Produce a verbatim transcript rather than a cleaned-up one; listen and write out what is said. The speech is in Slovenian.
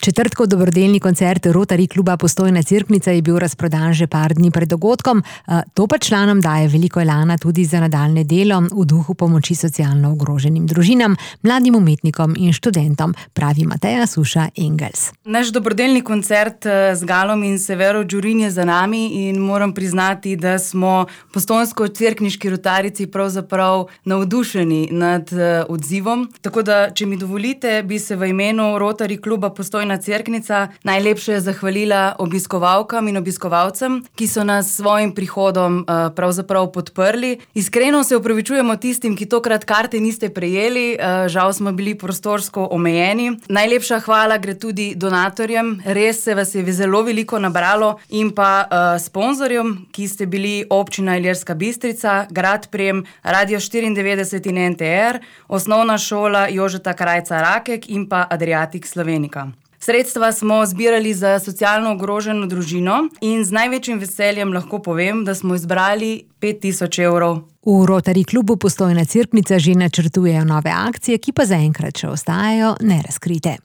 Četrtkov dobrodelni koncert Rotary kluba Postojna Cerknica je bil razprodan že par dni pred dogodkom. To pa članom daje veliko elana tudi za nadaljnje delo v duhu pomoči socialno ogroženim družinam, mladim umetnikom in študentom, pravi Mateja Suša Engels. Naš dobrodelni koncert z Galom in Severo Đurin je za nami in moram priznati, da smo postojnsko-cerkniški rotarijci pravzaprav navdušeni nad odzivom. Tako da, če mi dovolite, bi se v imenu Rotary kluba Postojna Cerknica najlepše zahvalila obiskovalkam in obiskovalcem, ki so nas s svojim prihodom uh, pravzaprav podprli. Iskreno se opravičujemo tistim, ki tokrat karte niste prejeli, uh, žal smo bili prostorsko omejeni. Najlepša hvala gre tudi donatorjem, res se vas je zelo veliko nabralo, in pa uh, sponzorjem, ki ste bili Občina Ilirska Bistrica, Grad Prem, Radio štiriindevetdeset in en te er, Osnovna šola Jožeta Krajca Rakek in pa Adriatic Slovenica. Sredstva smo zbirali za socialno ogroženo družino in z največjim veseljem lahko povem, da smo izbrali pet tisoč evrov. V Rotary klubu Postojna Cerknica že načrtujejo nove akcije, ki pa zaenkrat še ostajajo nerazkrite.